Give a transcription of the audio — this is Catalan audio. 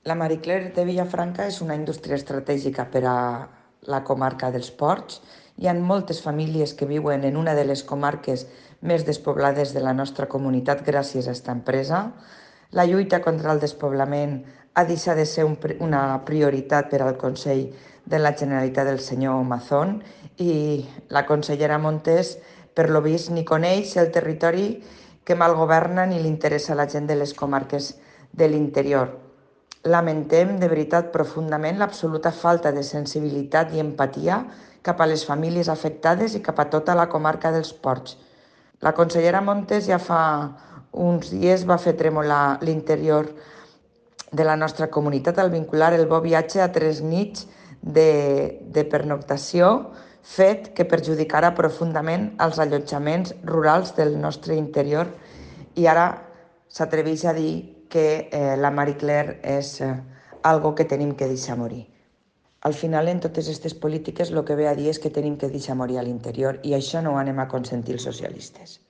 La Marie Claire de Vilafranca és una indústria estratègica per a la comarca dels Ports. Hi ha moltes famílies que viuen en una de les comarques més despoblades de la nostra comunitat gràcies a aquesta empresa. La lluita contra el despoblament ha deixat de ser una prioritat per al Consell de la Generalitat del senyor Mazón i la consellera Montés, per lo vist, ni coneix el territori que mal governa ni li interessa a la gent de les comarques de l'interior. Lamentem de veritat profundament l'absoluta falta de sensibilitat i empatia cap a les famílies afectades i cap a tota la comarca dels Ports. La consellera Montes ja fa uns dies va fer tremolar l'interior de la nostra comunitat al vincular el bo viatge a 3 nits de pernoctació, fet que perjudicarà profundament els allotjaments rurals del nostre interior, i ara s'atreveix a dir que la Marie Claire és algo que tenim que deixar morir. Al final, en totes aquestes polítiques, el que ve a dir és que tenim que deixar morir a l'interior, i això no ho anem a consentir els socialistes.